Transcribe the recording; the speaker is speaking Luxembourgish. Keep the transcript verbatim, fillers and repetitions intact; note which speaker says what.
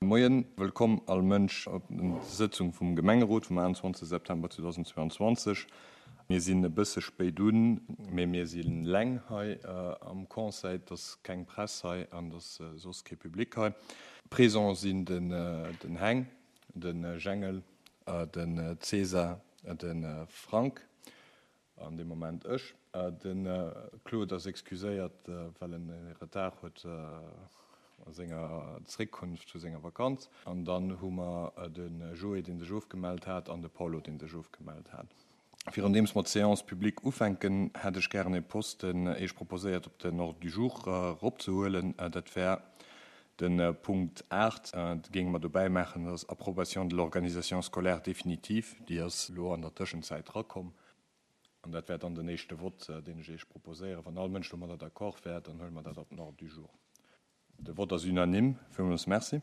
Speaker 1: Moien, wëllkomm all Mënsch op der Sëtzung vum Gemengerot vum achtenzwanzeg September zweedausendzweianzwanzeg. Mir sinn e bësse spéit un, mee mir si leng hei am Conseil. Et ass keng Press hei an et ass soss kee Public hei. Présent sinn den den Heng, de Jengel, den César, de Frank an dee Moment ech. De Claude ass excuséiert, well en e Retard huet a senger Zréckkunft vu senger Vakanz. An dann hu mer de Joé, dee sech ofgemellt hat, an de Paulo, dee sech ofgemellt hat. Virun deems mer d'Séance publique ufänken, hätt ech gären e Posten Iech proposéiert, op den Ordre du jour eropzehuelen. Dat wär de Punkt aacht, dee géinge mer dobäi maachen, dat ass Approbation de l'organisation scolaire définitive. Déi ass elo an der Tëschenzäit erakomm. An dat wär dann den éischte Vott, deen ech Iech proposéieren. Wann all Mënsch domadder d'accord wär, dann huele mer dat op den Ordre du jour. De Vott ass unanime. Villmools merci.